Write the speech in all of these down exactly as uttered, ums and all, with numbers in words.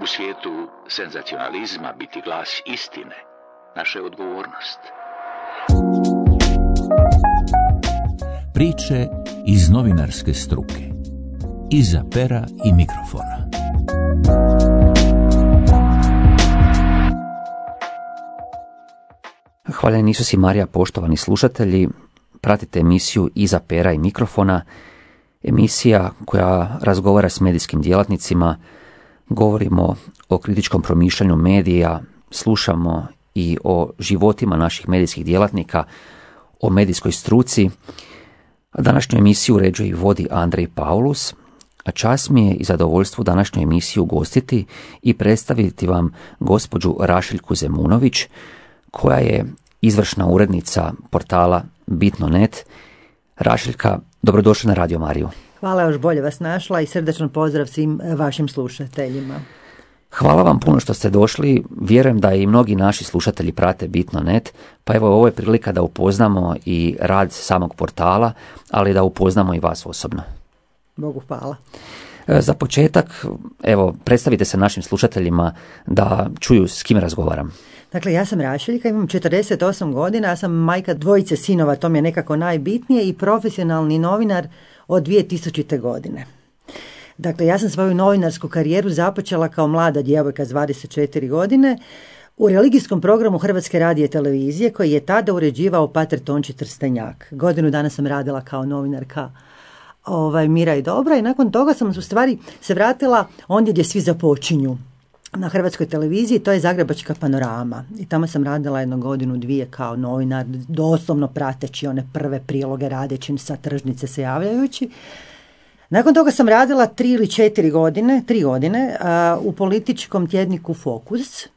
U svijetu senzacionalizma biti glas istine naša je odgovornost. Priče iz novinarske struke. Iza pera i mikrofona. Hvaljeni Isus i Marija, poštovani slušatelji, pratite emisiju Iza pera i mikrofona, emisija koja razgovara s medijskim djelatnicima, govorimo o kritičkom promišljanju medija, slušamo i o životima naših medijskih djelatnika, o medijskoj struci. Današnju emisiju uređuje i vodi Andrej Paulus, a čast mi je i zadovoljstvo današnju emisiju ugostiti i predstaviti vam gospođu Rašiljku Zemunović, koja je izvršna urednica portala Bitno punto net. Rašiljka, dobrodošli na Radio Mariju. Hvala, još bolje vas našla i srdečan pozdrav svim vašim slušateljima. Hvala vam puno što ste došli. Vjerujem da i mnogi naši slušatelji prate Bitno punto net, pa evo ovo je prilika da upoznamo i rad samog portala, ali da upoznamo i vas osobno. Bogu hvala. Za početak, evo, predstavite se našim slušateljima da čuju s kim razgovaram. Dakle, ja sam Rašiljka, imam četrdeset osam godina, ja sam majka dvojice sinova, to mi je nekako najbitnije, i profesionalni novinar od dvije tisućite. godine. Dakle, ja sam svoju novinarsku karijeru započela kao mlada djevojka s dvadeset četiri godine u religijskom programu Hrvatske radije televizije koji je tada uređivao pater Tonči Trstenjak. Godinu dana sam radila kao novinarka ovaj, Mira i Dobra i nakon toga sam u stvari se vratila ondje gdje svi započinju. Na Hrvatskoj televiziji, to je Zagrebačka panorama. I tamo sam radila jednu godinu, dvije kao novinar, doslovno prateći one prve priloge, radeći sa tržnice se javljajući. Nakon toga sam radila tri ili četiri godine, tri godine uh, u političkom tjedniku Fokus,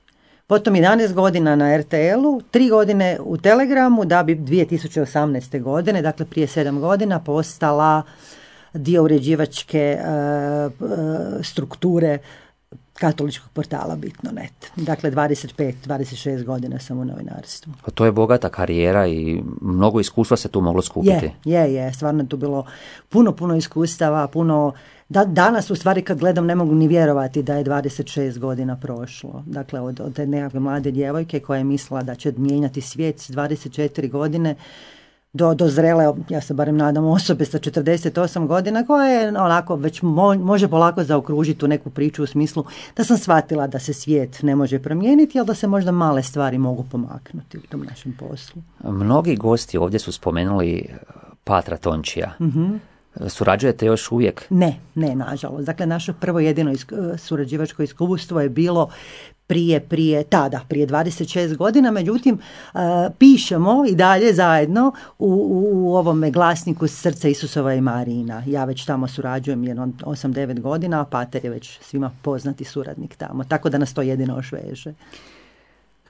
potom jedanaest godina na er te el u, tri godine u Telegramu, da bi dvije tisuće osamnaeste. godine, dakle prije sedam godina, postala dio uređivačke uh, uh, strukture katoličkog portala Bitno punto net. Dakle, dvadeset pet dvadeset šest godina sam u novinarstvu. A to je bogata karijera i mnogo iskustva se tu moglo skupiti. Je, je, je. Stvarno tu bilo puno, puno iskustava, puno... Da, danas, u stvari, kad gledam, ne mogu ni vjerovati da je dvadeset šest godina prošlo. Dakle, od, od te nekakve mlade djevojke koja je mislila da će mijenjati svijet s dvadeset četiri godine, do, do zrele, ja se barem nadam, osobe sa četrdeset osam godina koja je onako već mo, može polako zaokružiti u neku priču u smislu da sam shvatila da se svijet ne može promijeniti, ali da se možda male stvari mogu pomaknuti u tom našem poslu. Mnogi gosti ovdje su spomenuli Patra Tončija. Mm-hmm. Surađujete još uvijek? Ne, ne, nažalost. Dakle, naše prvo jedino isk- surađivačko iskustvo je bilo prije, prije, tada, prije dvadeset šest godina, međutim, uh, pišemo i dalje zajedno u, u, u ovome glasniku Srce Isusova i Marijina. Ja već tamo surađujem jedno osam devet godina, a Pater je već svima poznati suradnik tamo, tako da nas to jedino još veže.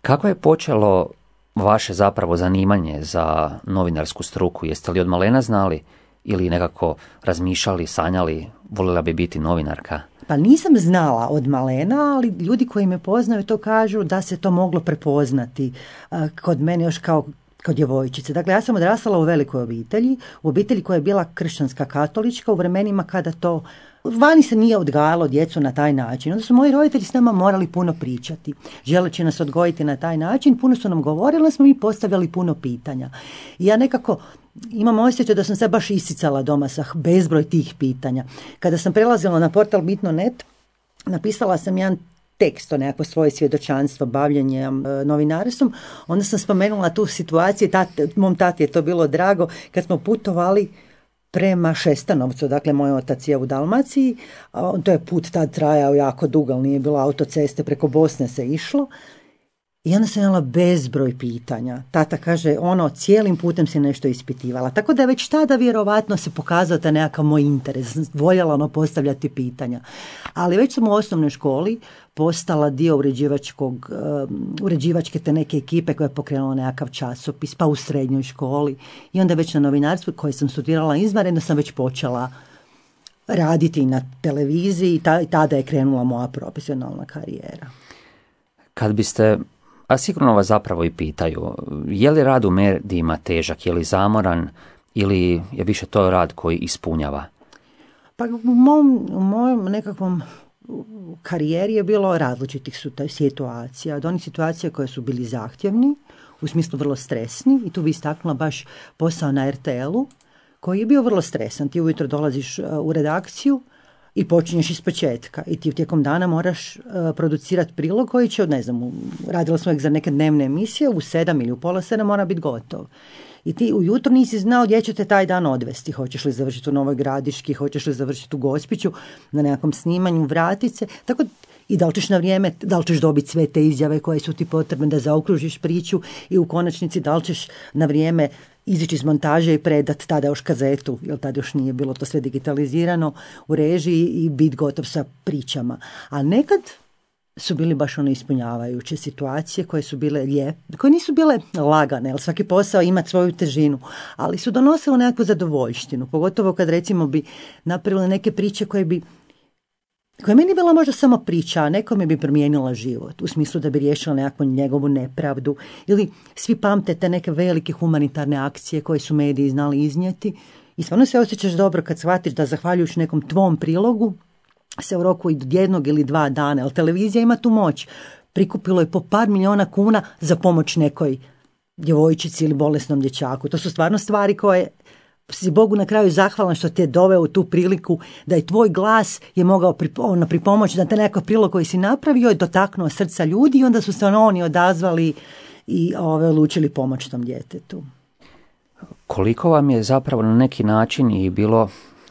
Kako je počelo vaše zapravo zanimanje za novinarsku struku? Jeste li od malena znali ili nekako razmišljali, sanjali, voljela bi biti novinarka? Pa nisam znala od malena, ali ljudi koji me poznaju to kažu da se to moglo prepoznati uh, kod mene još kao kod djevojčice. Dakle, ja sam odrastala u velikoj obitelji, u obitelji koja je bila kršćanska katolička u vremenima kada to vani se nije odgajalo djecu na taj način. Onda su moji roditelji s nama morali puno pričati. Želeći nas odgojiti na taj način, puno su nam govorili, smo mi postavljali puno pitanja. I ja nekako imam osjećaj da sam se baš isicala doma sa bezbroj tih pitanja. Kada sam prelazila na portal Bitno punto net, napisala sam jedan tekst o nekako svoje svjedočanstvo bavljenjem e, novinarstvom, onda sam spomenula tu situaciju, tate, mom tati je to bilo drago, kad smo putovali prema Šestanovcu, dakle moj otac je u Dalmaciji, a to je put tad trajao jako dugo, ali nije bilo autoceste, preko Bosne se išlo. I onda sam imala bezbroj pitanja. Tata kaže, ono, cijelim putem se nešto ispitivala. Tako da je već tada vjerovatno se pokazao taj nekakav moj interes. Voljela ono postavljati pitanja. Ali već sam u osnovnoj školi postala dio uređivačkog, um, uređivačke te neke ekipe koja je pokrenula nekakav časopis, pa u srednjoj školi. I onda već na novinarstvu koje sam studirala izvanredno sam već počela raditi na televiziji i tada je krenula moja profesionalna karijera. Kad biste, a sigurno vas zapravo i pitaju, je li rad u medijima težak, je li zamoran ili je više to rad koji ispunjava? Pa u mom, u mojom nekakvom karijeri je bilo različitih su taj situacija. Od onih situacija koje su bili zahtjevni, u smislu vrlo stresni, i tu bi istaknula baš posao na er te el-u, koji je bio vrlo stresan. Ti ujutro dolaziš u redakciju i počinješ iz početka. I ti tijekom dana moraš uh, producirati prilog koji će, ne znam, radila sam uvijek za neke dnevne emisije, u sedam ili u pola sedam mora biti gotov. I ti ujutro nisi znao gdje će te taj dan odvesti. Hoćeš li završiti u Novoj Gradiški, hoćeš li završiti u Gospiću, na nekakvom snimanju, vratit se. Tako, i da li ćeš na vrijeme, da li ćeš dobiti sve te izjave koje su ti potrebne da zaokružiš priču i u konačnici da li ćeš na vrijeme izići iz montaže i predati tada još kazetu, jer tada još nije bilo to sve digitalizirano u režiji i biti gotov sa pričama. A nekad su bili baš ono ispunjavajuće situacije koje su bile lijepe, koje nisu bile lagane, jer svaki posao ima svoju težinu, ali su donosile nekakvu zadovoljštinu, pogotovo kad recimo bi napravili neke priče koje bi koja meni bila možda samo priča, a nekome bi promijenila život, u smislu da bi riješila nekakvu njegovu nepravdu, ili svi pamte te neke velike humanitarne akcije koje su mediji znali iznijeti i stvarno se osjećaš dobro kad shvatiš da zahvaljujući nekom tvom prilogu se u roku jednog ili dva dana, ali televizija ima tu moć, prikupilo je po par milijuna kuna za pomoć nekoj djevojčici ili bolesnom dječaku. To su stvarno stvari koje si Bogu na kraju zahvalan što te je doveo u tu priliku da i tvoj glas je mogao ono, pripomoći da te nekakav prilog koji si napravio je dotaknuo srca ljudi i onda su se ono, oni odazvali i ove, odlučili pomoći tom djetetu. Koliko vam je zapravo na neki način i bilo,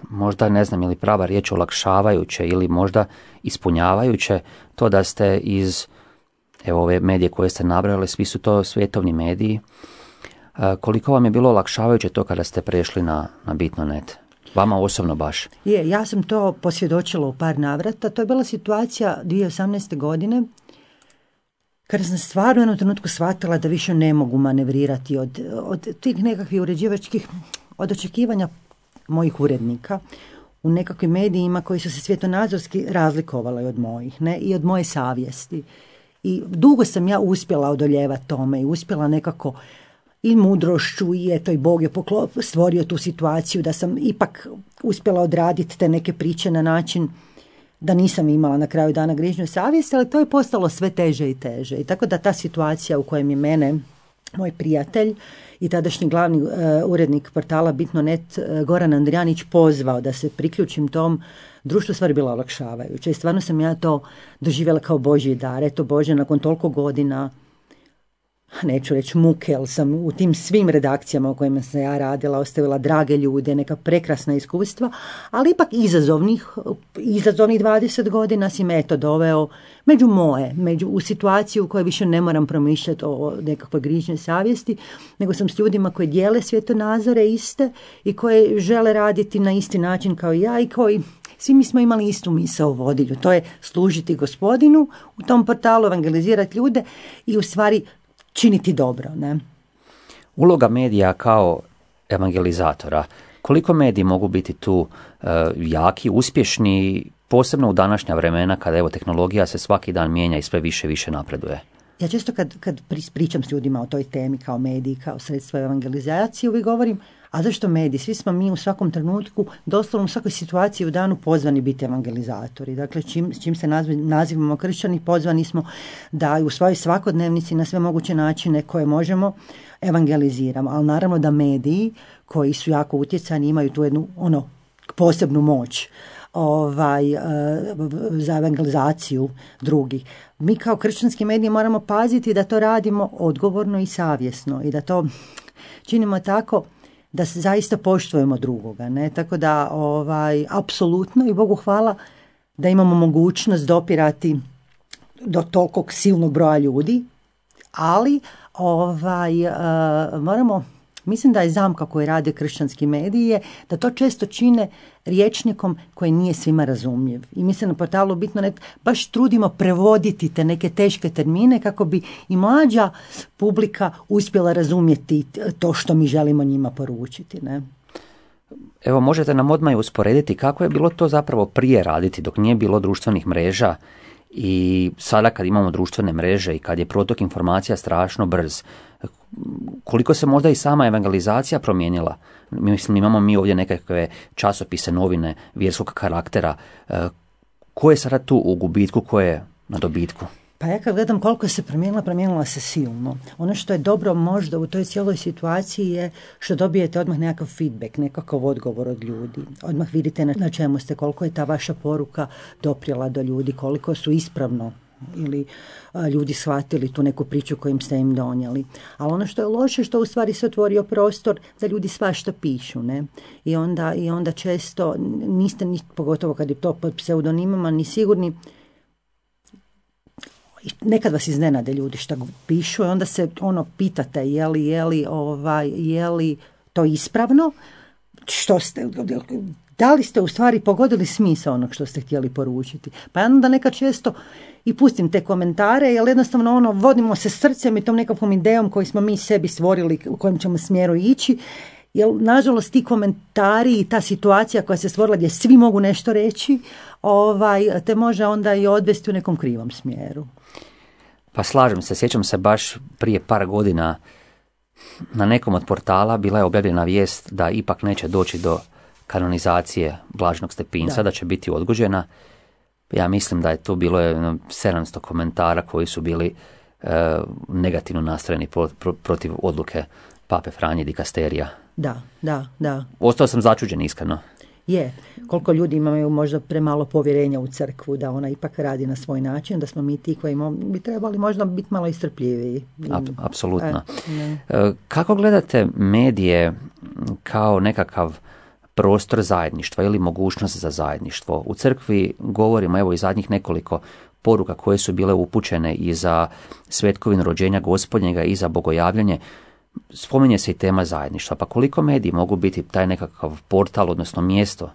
možda ne znam ili prava riječ, olakšavajuće ili možda ispunjavajuće to da ste iz evo, ove medije koje ste nabrali, svi su to svjetovni mediji, koliko vam je bilo olakšavajuće to kada ste prešli na, na Bitno punto net? Vama osobno baš. Je, ja sam to posvjedočila u par navrata. To je bila situacija dvije tisuće osamnaeste. godine kada sam stvarno u jednom trenutku shvatila da više ne mogu manevrirati od, od tih nekakvih uređivačkih, od očekivanja mojih urednika u nekakvim medijima koji su se svjetonazorski razlikovali od mojih, ne, i od moje savjesti. I dugo sam ja uspjela odoljevati tome i uspjela nekako i mudrošću i eto i Bog je poklop, stvorio tu situaciju da sam ipak uspjela odraditi te neke priče na način da nisam imala na kraju dana grižnju savjesti, ali to je postalo sve teže i teže. I tako da ta situacija u kojem je mene moj prijatelj i tadašnji glavni uh, urednik portala Bitno punto net uh, Goran Andrijanić pozvao da se priključim tom društvu, stvar bila olakšavajuća. I stvarno sam ja to doživjela kao Božji dar. Eto Bože, nakon toliko godina, neću reći muke, ali sam u tim svim redakcijama u kojima sam ja radila ostavila drage ljude, neka prekrasna iskustva, ali ipak izazovnih, izazovnih dvadeset godina si me eto doveo među moje, među, u situaciju u kojoj više ne moram promišljati o nekakvoj grižnjoj savjesti, nego sam s ljudima koji dijele svjetonazore iste i koji žele raditi na isti način kao i ja i koji svi mi smo imali istu misao u vodilju. To je služiti Gospodinu u tom portalu, evangelizirati ljude i u stvari činiti dobro, ne? Uloga medija kao evangelizatora. Koliko mediji mogu biti tu uh, jaki, uspješni, posebno u današnja vremena kada evo tehnologija se svaki dan mijenja i sve više više napreduje? Ja često kad, kad pričam s ljudima o toj temi kao mediji, kao sredstvo evangelizacije, uvijek govorim, a zašto mediji? Svi smo mi u svakom trenutku, doslovno u svakoj situaciji u danu pozvani biti evangelizatori. Dakle, čim, s čim se nazv, nazivamo kršćani, pozvani smo da u svojoj svakodnevnici na sve moguće načine koje možemo evangeliziramo. Ali naravno da mediji koji su jako utjecani imaju tu jednu ono, posebnu moć ovaj, za evangelizaciju drugih. Mi kao kršćanski mediji moramo paziti da to radimo odgovorno i savjesno i da to činimo tako da se zaista poštujemo drugoga, ne? Tako da ovaj, apsolutno i Bogu hvala da imamo mogućnost dopirati do tolikog silnog broja ljudi, ali ovaj, uh, moramo, mislim da je zamka koju rade kršćanski mediji da to često čine rječnikom koji nije svima razumljiv. I mi se na portalu Bitno punto net baš trudimo prevoditi te neke teške termine kako bi i mlađa publika uspjela razumjeti to što mi želimo njima poručiti, ne? Evo, možete nam odmah usporediti kako je bilo to zapravo prije raditi dok nije bilo društvenih mreža i sada kad imamo društvene mreže i kad je protok informacija strašno brz. koliko se možda i sama evangelizacija promijenila. Mislim, imamo mi ovdje nekakve časopise, novine vjerskog karaktera. Ko je sada tu u gubitku, ko je na dobitku? Pa ja kad gledam koliko se promijenila, promijenila se silno. Ono što je dobro možda u toj cijeloj situaciji je što dobijete odmah nekakav feedback, nekakav odgovor od ljudi. Odmah vidite na čemu ste, koliko je ta vaša poruka doprijela do ljudi, koliko su ispravno ili a, ljudi shvatili tu neku priču kojim ste im donijeli. Ali ono što je loše, što u stvari se otvorio prostor da ljudi svašta pišu, ne? I onda, i onda često niste, ni, pogotovo kad je to pod pseudonimama, ni sigurni. Nekad vas iznenade ljudi šta pišu i onda se ono pitate je li, je li, ovaj, je li to ispravno, što ste, da li ste u stvari pogodili smisao onog što ste htjeli poručiti. Pa onda nekad često i pustim te komentare, jer jednostavno ono, vodimo se srcem i tom nekakvom idejom koju smo mi sebi stvorili, u kojem ćemo smjeru ići, jer nažalost ti komentari i ta situacija koja se stvorila gdje svi mogu nešto reći, ovaj, te može onda i odvesti u nekom krivom smjeru. Pa slažem se, sjećam se baš prije par godina na nekom od portala bila je objavljena vijest da ipak neće doći do kanonizacije Blaženog Stepinca, da, da će biti odgođena. Ja mislim da je tu bilo sedamsto komentara koji su bili e, negativno nastrojeni pro, pro, protiv odluke Pape Franje Dikasterija. Da, da, da. Ostao sam začuđen iskreno. Je, koliko ljudi imaju možda premalo povjerenja u crkvu, da ona ipak radi na svoj način, da smo mi ti koji bi trebali možda biti malo istrpljiviji. Apsolutno. E, Kako gledate medije kao nekakav prostor zajedništva ili mogućnost za zajedništvo? U crkvi govorimo, evo i zadnjih nekoliko poruka koje su bile upućene i za svetkovinu rođenja Gospodnjega i za bogojavljanje, spominje se i tema zajedništva. Pa koliko mediji mogu biti taj nekakav portal, odnosno mjesto,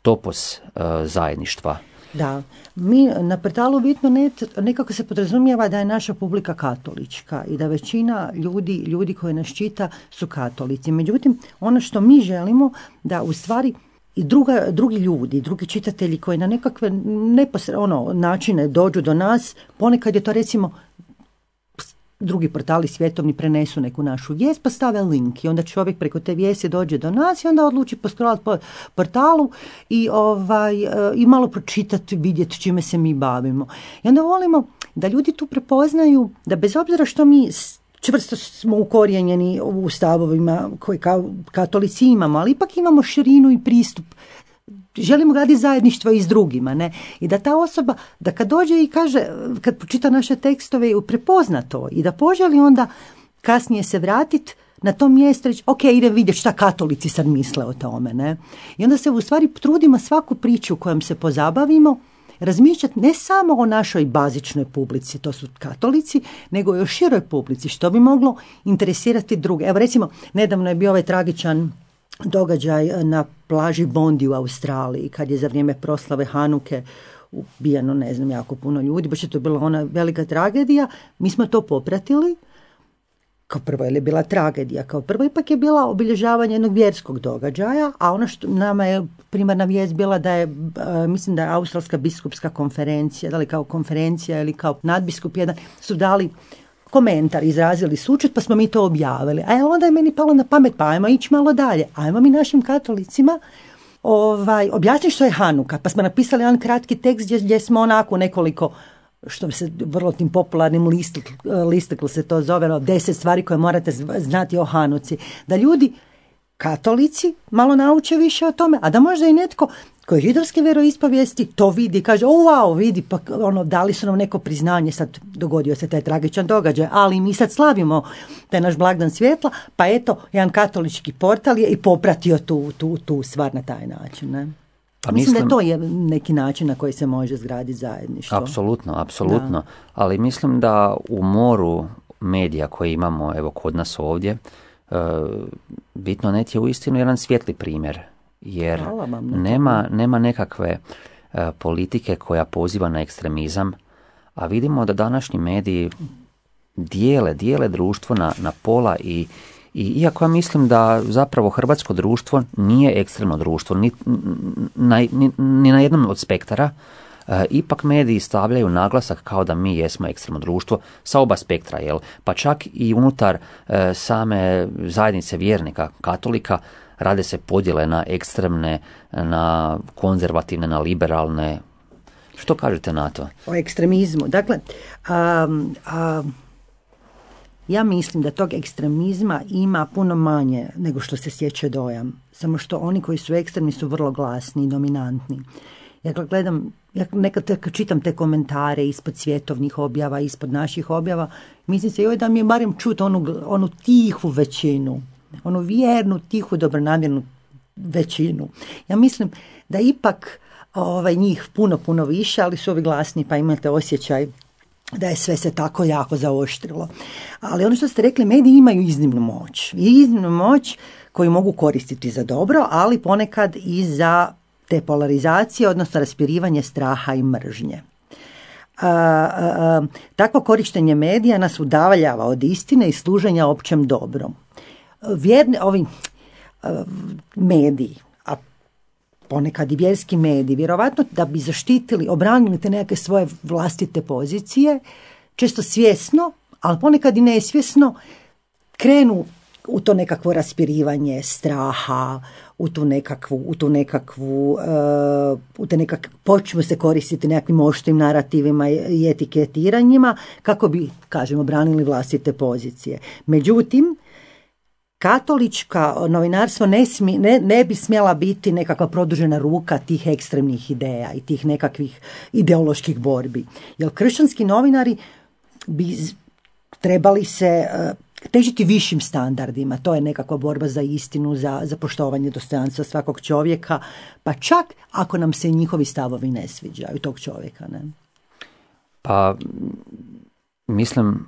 topos e, zajedništva? Da, mi na portalu Bitno punto net nekako se podrazumijeva da je naša publika katolička i da većina ljudi, ljudi koji nas čita su katolici. Međutim, ono što mi želimo da u stvari i druga, drugi ljudi, drugi čitatelji koji na nekakve neposredne ono, načine dođu do nas, ponekad je to recimo drugi portali svjetovni prenesu neku našu vijest pa stave link i onda čovjek preko te vijesti dođe do nas i onda odluči poskrolati po portalu i, ovaj, i malo pročitati, vidjeti čime se mi bavimo. I onda volimo da ljudi tu prepoznaju da bez obzira što mi čvrsto smo ukorijenjeni u stavovima koje kao katolici imamo, ali ipak imamo širinu i pristup. Želimo graditi zajedništvo i s drugima, ne? I da ta osoba, da kad dođe i kaže, kad pročita naše tekstove, prepozna to i da poželi onda kasnije se vratiti na to mjesto, reći, ok, idem vidjeti šta katolici sad misle o tome, ne? I onda se u stvari trudimo svaku priču kojom se pozabavimo, razmišljati ne samo o našoj bazičnoj publici, to su katolici, nego i o široj publici, što bi moglo interesirati druge. Evo recimo, nedavno je bio ovaj tragičan događaj na plaži Bondi u Australiji, kad je za vrijeme proslave Hanuke ubijeno, ne znam, jako puno ljudi, baš je to bila ona velika tragedija. Mi smo to popratili, kao prvo je bila tragedija, kao prvo ipak je bila obilježavanje jednog vjerskog događaja, a ono što nama je primarna vijest bila da je, mislim da je Australska biskupska konferencija, da li kao konferencija ili kao nadbiskup jedan, su dali komentar, izrazili sućut, pa smo mi to objavili. A onda je meni palo na pamet, pa ajmo ići malo dalje. Ajmo mi našim katolicima ovaj, objasniti što je Hanuka. Pa smo napisali jedan kratki tekst gdje, gdje smo onako nekoliko, što se vrlo tim popularnim listikl, listikl se to zove, deset stvari koje morate znati o Hanuci. Da ljudi, katolici, malo nauče više o tome, a da možda i netko koji je židovske vjeroispovijesti to vidi i kaže, o wow, vidi, pa ono, dali su nam neko priznanje, sad dogodio se taj tragičan događaj, ali mi sad slavimo taj naš blagdan svjetla, pa eto, jedan katolički portal je i popratio tu, tu, tu stvar na taj način, ne? Pa mislim, mislim da to je neki način na koji se može zgraditi zajedništvo. Apsolutno, apsolutno. Ali mislim da u moru medija koje imamo, evo kod nas ovdje, uh, Bitno net je uistinu jedan svijetli primjer. Jer nema, nema nekakve uh, politike koja poziva na ekstremizam, a vidimo da današnji mediji dijele, dijele društvo na, na pola i I iako ja mislim da zapravo hrvatsko društvo nije ekstremno društvo, ni, ni, ni na jednom od spektara, E, ipak mediji stavljaju naglasak kao da mi jesmo ekstremno društvo sa oba spektra, jel? Pa čak i unutar e, same zajednice vjernika, katolika, rade se podjele na ekstremne, na konzervativne, na liberalne. Što kažete na to? O ekstremizmu. Dakle, um, um, ja mislim da tog ekstremizma ima puno manje nego što se stječe dojam. Samo što oni koji su ekstremni su vrlo glasni i dominantni. Ja gledam, ja nekad čitam te komentare ispod svjetovnih objava, ispod naših objava, mislim se joj da mi je barem čuti onu, onu tihu većinu, onu vjernu, tihu, dobronamjernu većinu. Ja mislim da ipak ovaj, njih puno, puno više, ali su ovi glasni pa imate osjećaj da je sve se tako jako zaoštrilo. Ali ono što ste rekli, mediji imaju iznimnu moć. I iznimnu moć koju mogu koristiti za dobro, ali ponekad i za te polarizacije, odnosno raspirivanje straha i mržnje. A, a, a, takvo korištenje medija nas udaljava od istine i služenja općem dobrom. Vjerni, ovi a, mediji, a ponekad i vjerski mediji, vjerovatno da bi zaštitili, obranili te neke svoje vlastite pozicije, često svjesno, ali ponekad i nesvjesno, krenu u to nekakvo raspirivanje straha, u tu nekakvu, u tu nekakvu, uh, u te nekak, počnu se koristiti nekakvim oštrim narativima i etiketiranjima kako bi, kažemo, branili vlastite pozicije. Međutim, katolička novinarstvo ne, smi, ne, ne bi smjela biti nekakva produžena ruka tih ekstremnih ideja i tih nekakvih ideoloških borbi. Jer kršćanski novinari bi trebali se uh, težiti višim standardima. To je nekakva borba za istinu, za, za poštovanje dostojanstva svakog čovjeka, pa čak ako nam se njihovi stavovi ne sviđaju tog čovjeka. Ne? Pa mislim,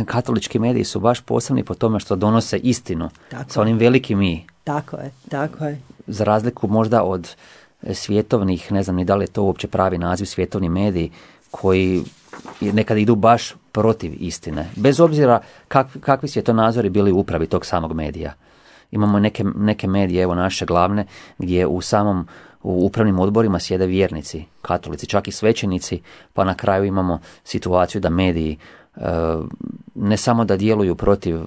katolički mediji su baš posebni po tome što donose istinu tako sa onim velikim i. Tako je, tako je. Za razliku možda od svjetovnih, ne znam ni da li je to uopće pravi naziv, svjetovni mediji koji nekad idu baš protiv istine. Bez obzira kak, kakvi svjetonazori bili u upravi tog samog medija. Imamo neke, neke medije, evo naše glavne, gdje u samom u upravnim odborima sjede vjernici, katolici, čak i svećenici, pa na kraju imamo situaciju da mediji e, ne samo da djeluju protiv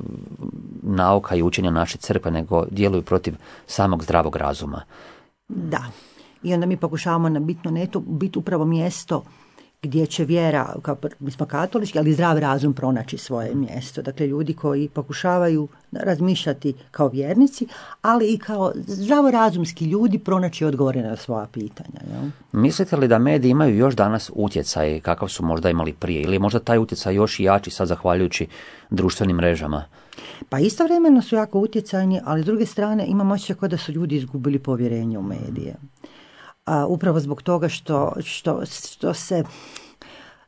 nauka i učenja naše crkve, nego djeluju protiv samog zdravog razuma. Da. I onda mi pokušavamo na bitno netu biti upravo mjesto gdje će vjera, kao mi smo katolički, ali zdrav razum pronaći svoje mjesto. Dakle, ljudi koji pokušavaju razmišljati kao vjernici, ali i kao zdravorazumski ljudi pronaći odgovore na svoja pitanja. Jel? Mislite li da mediji imaju još danas utjecaj kakav su možda imali prije, ili je možda taj utjecaj još i jači sad zahvaljujući društvenim mrežama? Pa istovremeno su jako utjecajni, ali s druge strane imam osjećaj kao da su ljudi izgubili povjerenje u medije. A, upravo zbog toga što, što, što se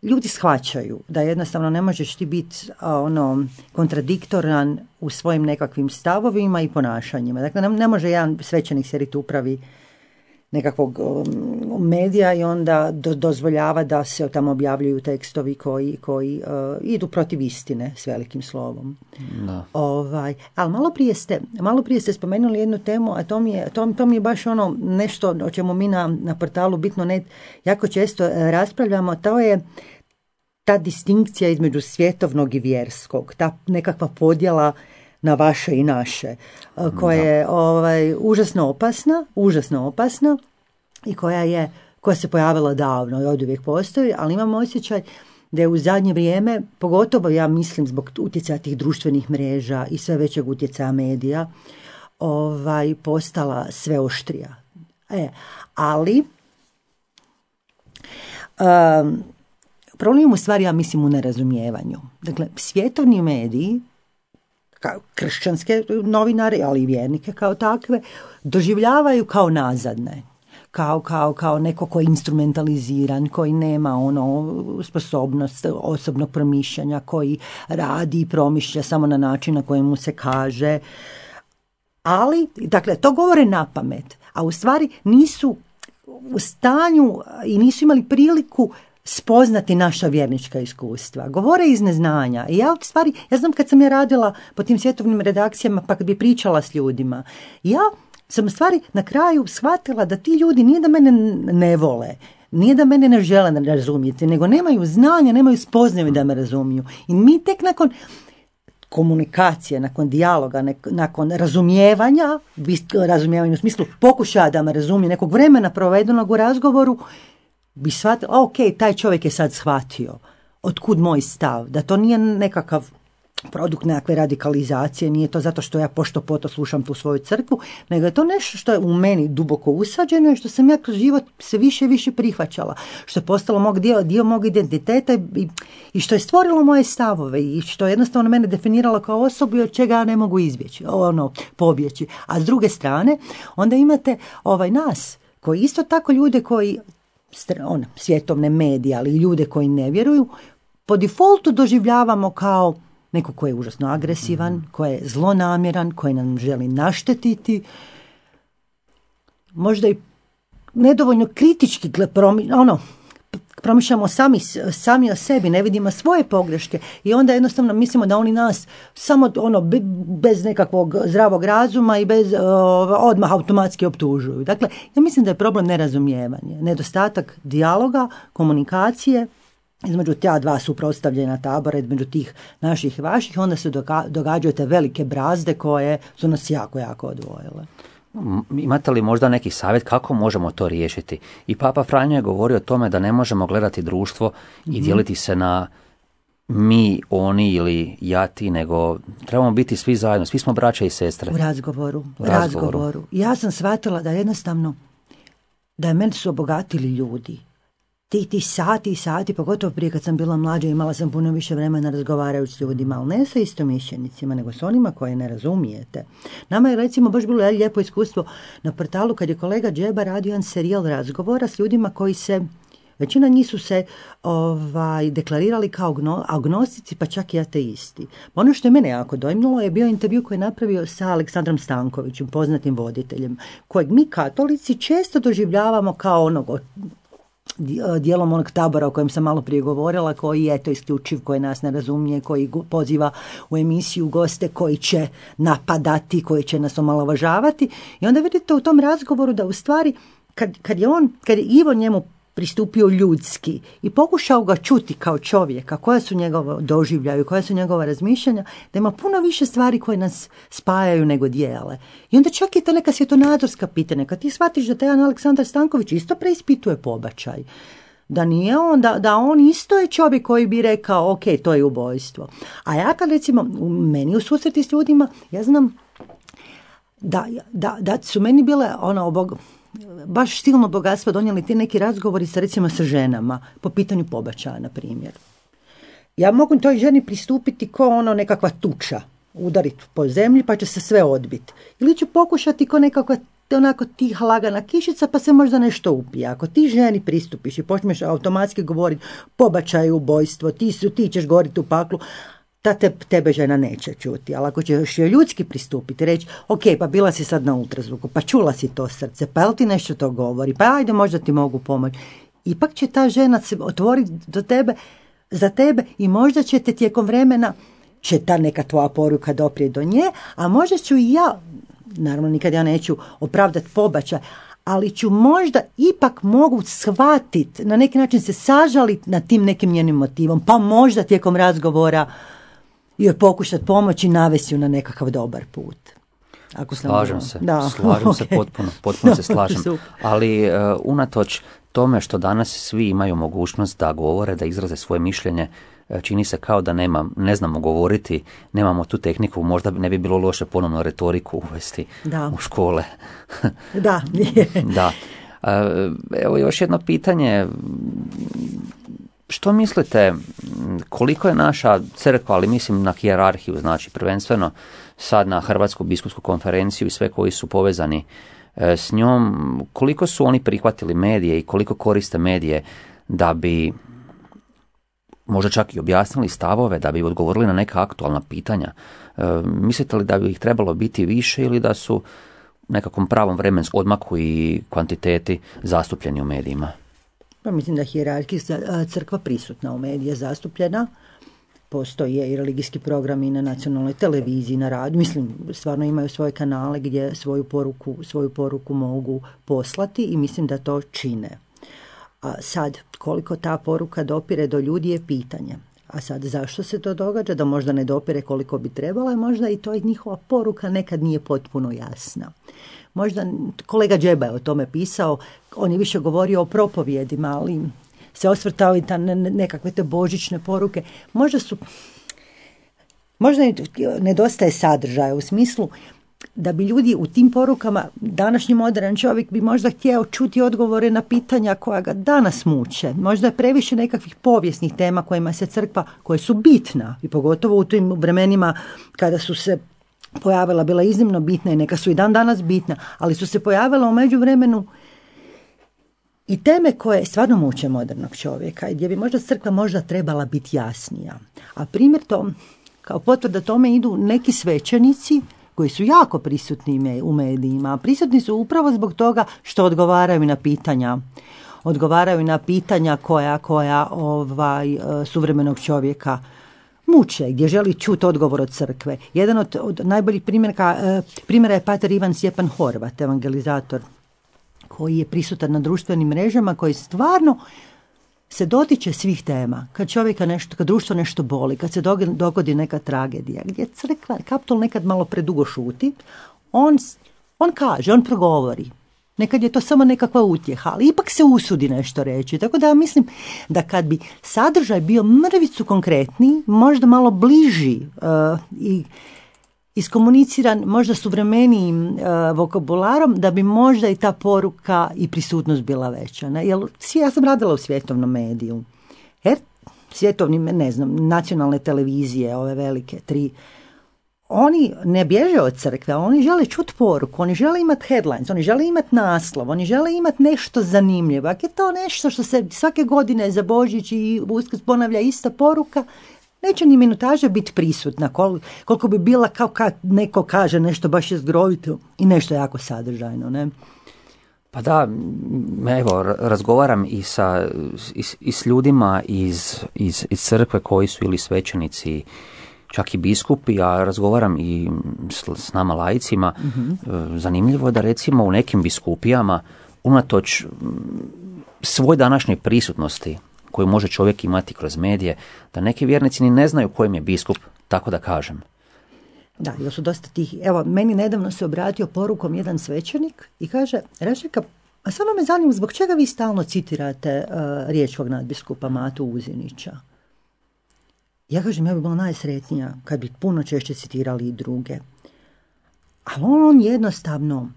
ljudi shvaćaju da jednostavno ne možeš ti biti ono, kontradiktoran u svojim nekakvim stavovima i ponašanjima. Dakle, ne, ne može jedan svećenik sjediti u upravi nekakvog um, medija i onda do, dozvoljava da se tamo objavljuju tekstovi koji, koji uh, idu protiv istine s velikim slovom. Da. Ovaj, ali malo prije ste, malo prije ste spomenuli jednu temu, a to mi je, to, to mi je baš ono nešto o čemu mi na, na portalu Bitno net jako često raspravljamo, to je ta distinkcija između svjetovnog i vjerskog, ta nekakva podjela na vaše i naše, koja je ovaj, užasno opasna, užasno opasna i koja je, koja se pojavila davno i oduvijek postoji, ali imam osjećaj da je u zadnje vrijeme, pogotovo ja mislim zbog utjecaja tih društvenih mreža i sve većeg utjecaja medija, ovaj, postala sve oštrija. E, ali um, problem u stvari, ja mislim, u nerazumijevanju. Dakle, svjetovni mediji, kao kršćanske novinare, ali i vjernike kao takve, doživljavaju kao nazadne, kao, kao, kao neko koji je instrumentaliziran, koji nema ono sposobnost osobnog promišljanja, koji radi i promišlja samo na način na koji mu se kaže. Ali, dakle, to govore na pamet, a u stvari nisu u stanju i nisu imali priliku spoznati naša vjernička iskustva. Govore iz neznanja. I ja u stvari, ja znam kad sam ja radila po tim svjetovnim redakcijama, pa kad bi pričala s ljudima, ja sam u stvari na kraju shvatila da ti ljudi nije da mene ne vole, Nije da mene ne žele razumjeti, nego nemaju znanja, nemaju spoznaju da me razumiju. I mi tek nakon komunikacije, nakon dijaloga, nakon razumijevanja, razumijevanja u smislu pokušaja da me razumije, nekog vremena provedenog u razgovoru, bi shvatio, ok, taj čovjek je sad shvatio otkud moj stav, da to nije nekakav produkt nekakve radikalizacije, nije to zato što ja pošto poto slušam tu svoju crkvu, nego je to nešto što je u meni duboko usađeno i što sam ja kroz život se više i više prihvaćala, što je postalo mog dio, dio mog identiteta i, i što je stvorilo moje stavove i što je jednostavno mene definiralo kao osobu i od čega ja ne mogu izbjeći, ono, pobjeći. A s druge strane, onda imate ovaj nas, koji isto tako ljude koji, on, svjetovne medije, ali i ljude koji ne vjeruju, po defaultu doživljavamo kao neko ko je užasno agresivan, mm. ko je zlonamjeran, koji nam želi naštetiti, možda i nedovoljno kritički promi, ono, promišljamo sami, sami o sebi, ne vidimo svoje pogreške i onda jednostavno mislimo da oni nas samo ono, bez nekakvog zdravog razuma i bez uh, odmah automatski optužuju. Dakle, ja mislim da je problem nerazumijevanje, nedostatak dijaloga, komunikacije između ta dva suprotstavljena tabora, između tih naših i vaših, onda se doga- događaju te velike brazde koje su nas jako, jako odvojile. Imate li možda neki savjet kako možemo to riješiti? I Papa Franjo je govorio o tome da ne možemo gledati društvo i mm-hmm. dijeliti se na mi, oni ili ja, ti, nego trebamo biti svi zajedno, svi smo braća i sestre. U razgovoru. U razgovoru. razgovoru. Ja sam shvatila da jednostavno, da je meni su obogatili ljudi. Ti, ti sati i sati, pogotovo prije kad sam bila mlađa, imala sam puno više vremena razgovarajući s ljudima, ali ne sa istomišljenicima, nego s onima koje ne razumijete. Nama je recimo baš bilo lijepo iskustvo na portalu kad je kolega Džeba radio jedan serijal razgovora s ljudima koji se, većina njih su se ovaj, deklarirali kao agno, agnostici, pa čak i ateisti. Ono što je mene jako dojmilo je bio intervju koji je napravio sa Aleksandrom Stankovićem, poznatim voditeljem, kojeg mi katolici često doživljavamo kao onog dijelom onog tabora o kojem sam malo prije govorila, koji je to isključiv, koji nas ne razumije, koji poziva u emisiju goste koji će napadati, koji će nas omalovažavati. I onda vidite u tom razgovoru da u stvari kad, kad je on, kad je Ivo njemu pristupio ljudski i pokušao ga čuti kao čovjeka, koja su njegova doživljaju, koja su njegova razmišljanja, da ima puno više stvari koje nas spajaju nego dijele. I onda čak je to neka svjetonazorska pitanja. Kad ti shvatiš da taj Aleksandar Stanković isto preispituje pobačaj, da nije on, da, da on isto je čovjek koji bi rekao, ok, to je ubojstvo. A ja kad recimo, u meni u susreti s ljudima, ja znam da, da, da su meni bile ono obog... baš silno bogatstvo donijeli ti neki razgovori sa recimo sa ženama po pitanju pobačaja, na primjer. Ja mogu toj ženi pristupiti kao ono nekakva tuča, udariti po zemlji pa će se sve odbiti. Ili ću pokušati kao nekakva onako tiha lagana kišica pa se možda nešto upije. Ako ti ženi pristupiš i počneš automatski govoriti pobačaj, ubojstvo, ti, su, ti ćeš goriti u paklu, ta te, tebe žena neće čuti, ali ako ćeš joj ljudski pristupiti, reći, ok, pa bila si sad na ultrazvuku, pa čula si to srce, pa jel ti nešto to govori, pa ajde možda ti mogu pomoći. Ipak će ta žena se otvoriti do tebe, za tebe i možda će te tijekom vremena, će ta neka tvoja poruka doprije do nje, a možda ću i ja, naravno nikad ja neću opravdati pobačaj, ali ću možda ipak mogu shvatiti, na neki način se sažaliti nad tim nekim njenim motivom, pa možda tijekom razgovora joj pokušati pomoći i navesti ju na nekakav dobar put. Ako sam slažem se, da. slažem okay. se potpuno, potpuno se slažem. Ali uh, unatoč tome što danas svi imaju mogućnost da govore, da izraze svoje mišljenje, čini se kao da nema, ne znamo govoriti, nemamo tu tehniku, možda ne bi bilo loše ponovno retoriku uvesti da. u škole. Da. da. Uh, evo još jedno pitanje. Što mislite, koliko je naša crkva, ali mislim na hijerarhiju, znači prvenstveno sad na Hrvatsku biskupsku konferenciju i sve koji su povezani e, s njom, koliko su oni prihvatili medije i koliko koriste medije da bi možda čak i objasnili stavove, da bi odgovorili na neka aktualna pitanja? E, mislite li da bi ih trebalo biti više ili da su u nekakvom pravom vremenskom odmaku i kvantiteti zastupljeni u medijima? Pa mislim da je hijerarhijska crkva prisutna u medije, zastupljena. Postoje i religijski programi na nacionalnoj televiziji, na radiju. Mislim, stvarno imaju svoje kanale gdje svoju poruku, svoju poruku mogu poslati i mislim da to čine. A sad, koliko ta poruka dopire do ljudi je pitanje. A sad, zašto se to događa? Da možda ne dopire koliko bi trebala, i možda i to njihova poruka nekad nije potpuno jasna. Možda, kolega Džeba je o tome pisao, on je više govorio o propovjedima, ali se osvrtao i ta nekakve te božićne poruke. Možda su, možda nedostaje sadržaja u smislu da bi ljudi u tim porukama, današnji modern čovjek bi možda htio čuti odgovore na pitanja koja ga danas muče. Možda je previše nekakvih povijesnih tema kojima se crkva, koje su bitna, i pogotovo u tim vremenima kada su se pojavila, bila iznimno bitna i neka su i dan danas bitna, ali su se pojavila u međuvremenu i teme koje stvarno muče modernog čovjeka i gdje bi možda crkva možda trebala biti jasnija. A primjer to, kao potvrda tome idu neki svećenici koji su jako prisutni u medijima. Prisutni su upravo zbog toga što odgovaraju na pitanja. Odgovaraju na pitanja koja, koja ovaj, suvremenog čovjeka muče, gdje želi čuti odgovor od crkve. Jedan od, od najboljih primjera, primjera je pater Ivan Stjepan Horvat, evangelizator, koji je prisutan na društvenim mrežama, koji stvarno se dotiče svih tema. Kad čovjeka nešto, kad društvo nešto boli, kad se dogodi neka tragedija, gdje crkva kapitol nekad malo predugo šuti, on, on kaže, on progovori. Nekad je to samo nekakva utjeha, ali ipak se usudi nešto reći. Tako da mislim da kad bi sadržaj bio mrvicu konkretniji, možda malo bliži uh, i iskomuniciran možda suvremenijim uh, vokabularom, da bi možda i ta poruka i prisutnost bila veća. Ne? Jer ja sam radila u svjetovnom mediju. Jer svjetovni, ne znam, nacionalne televizije, ove velike, tri, oni ne bježe od crkve, oni žele čuti poruku, oni žele imati headlines, oni žele imati naslov, oni žele imati nešto zanimljivo. Ako je to nešto što se svake godine za Božić i Uskrs ponavlja ista poruka, neće ni minutaža biti prisutna, kol, koliko bi bila kao kad neko kaže nešto baš je zgrovito i nešto jako sadržajno. Ne? Pa da, evo, razgovaram i, sa, i, i s ljudima iz, iz, iz crkve koji su ili svećenici, čak i biskupi, a razgovaram i s, s nama laicima. Mm-hmm. Zanimljivo je da recimo u nekim biskupijama, unatoč svoj današnjoj prisutnosti koju može čovjek imati kroz medije, da neki vjernici ni ne znaju kojim je biskup, tako da kažem. Da, jer su dosta tih. Evo, meni nedavno se obratio porukom jedan svećenik i kaže, Rešeka, a samo me zanima, zbog čega vi stalno citirate uh, riječkog nadbiskupa Matu Uzinića? Ja kažem, ja bi bila najsretnija kad bi puno češće citirali i druge. Ali on jednostavno,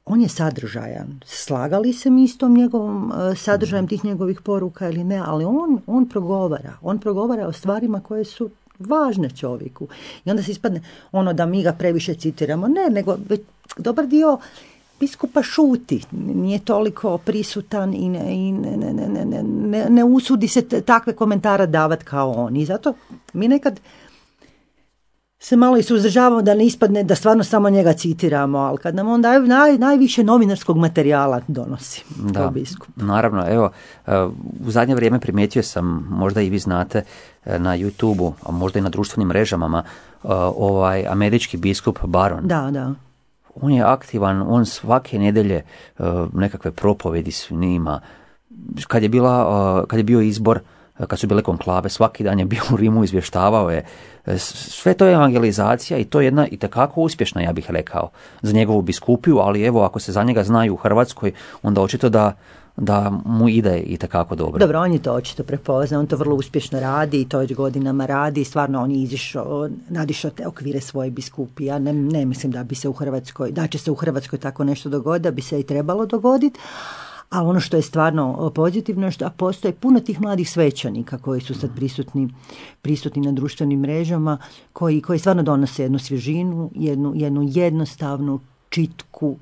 on je sadržajan. Slagali se mi s tom njegovom uh, sadržajem tih njegovih poruka ili ne, ali on, on progovara. On progovara o stvarima koje su važne čovjeku. I onda se ispadne ono da mi ga previše citiramo. Ne, nego već dobar dio biskupa šuti. Nije toliko prisutan i ne, i ne, ne, ne, ne, ne, ne usudi se takve komentare davati kao on. I zato mi nekad se malo i suzdržavamo da ne ispadne da stvarno samo njega citiramo, ali kad nam on daju naj, najviše novinarskog materijala donosi kao biskup. Naravno, evo, u zadnje vrijeme primijetio sam, možda i vi znate, na YouTubeu, a možda i na društvenim mrežama, ovaj američki biskup Baron. Da, da. On je aktivan, on svake nedjelje nekakve propovedi snima. Kad je, bila, kad je bio izbor, kad su bile konklave, svaki dan je bio u Rimu, izvještavao je. Sve to je evangelizacija i to je jedna itekako uspješna, ja bih rekao, za njegovu biskupiju, ali evo, ako se za njega znaju u Hrvatskoj, onda očito da, da mu ide itekako dobro. Dobro, on je to očito prepoznao, on to vrlo uspješno radi i to već godinama radi i stvarno on je izišao, nadišao te okvire svoje biskupije. Ja ne, ne mislim da bi se u Hrvatskoj, da će se u Hrvatskoj tako nešto dogoditi, da bi se i trebalo dogoditi. A ono što je stvarno pozitivno je što postoje puno tih mladih svećanika koji su sad prisutni, prisutni na društvenim mrežama, koji, koji stvarno donose jednu svježinu, jednu, jednu jednostavnu, čitku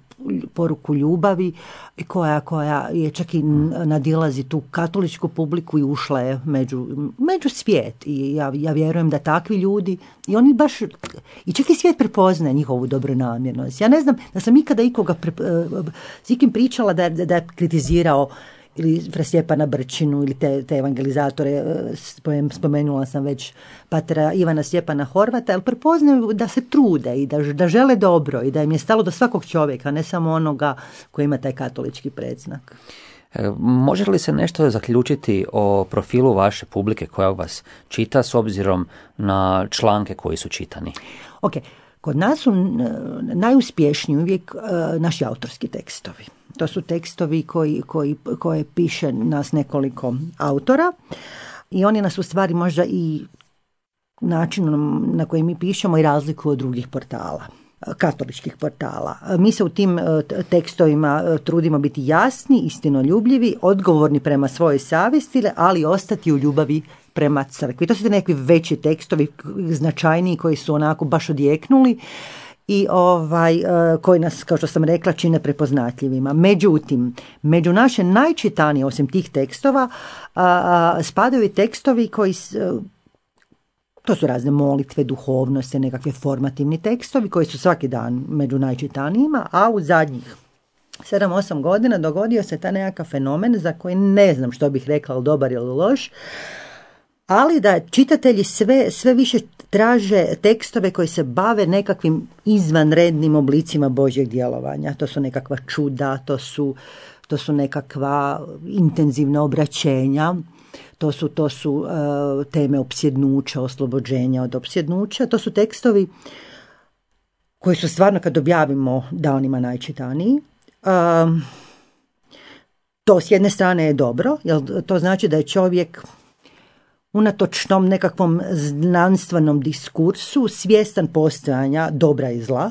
poruku ljubavi koja, koja je čak i nadilazi tu katoličku publiku i ušla je među, među svijet. I ja, ja vjerujem da takvi ljudi, i oni baš, i čak i svijet prepoznaje njihovu dobronamjernost. Ja ne znam da sam ikada ikoga pre, s ikim pričala da, da je kritizirao ili fra Stjepana Brčinu ili te, te evangelizatore, spomenula sam već patera Ivana Stjepana Horvata, ali prepoznaju da se trude i da, da žele dobro i da im je stalo do svakog čovjeka, ne samo onoga koji ima taj katolički predznak. Može li se nešto zaključiti o profilu vaše publike koja vas čita s obzirom na članke koji su čitani? Ok, kod nas su najuspješniji uvijek naši autorski tekstovi. To su tekstovi koji, koji, koje piše nas nekoliko autora i oni nas u stvari možda i načinom na koji mi pišemo i razlikuju od drugih portala, katoličkih portala. Mi se u tim tekstovima trudimo biti jasni, istinoljubljivi, odgovorni prema svojoj savjesti, ali ostati u ljubavi prema crkvi. To su neki veći tekstovi, značajniji, koji su onako baš odjeknuli i ovaj, koji nas, kao što sam rekla, čine prepoznatljivima. Međutim, među naše najčitanije, osim tih tekstova, spadaju i tekstovi koji... To su razne molitve, duhovnosti, nekakve formativni tekstovi koji su svaki dan među najčitanijima, a u zadnjih sedam osam godina dogodio se taj nekakav fenomen za koji ne znam što bih rekla, ali dobar ili loš, ali da čitatelji sve, sve više traže tekstove koji se bave nekakvim izvanrednim oblicima Božjeg djelovanja. To su nekakva čuda, to su, to su nekakva intenzivna obraćenja. To su, to su uh, teme opsjednuća, oslobođenja od opsjednuća. To su tekstovi koji su stvarno, kad objavimo, danima najčitaniji. Um, to s jedne strane je dobro, jer to znači da je čovjek unatoč tom nekakvom znanstvenom diskursu svjestan postojanja dobra i zla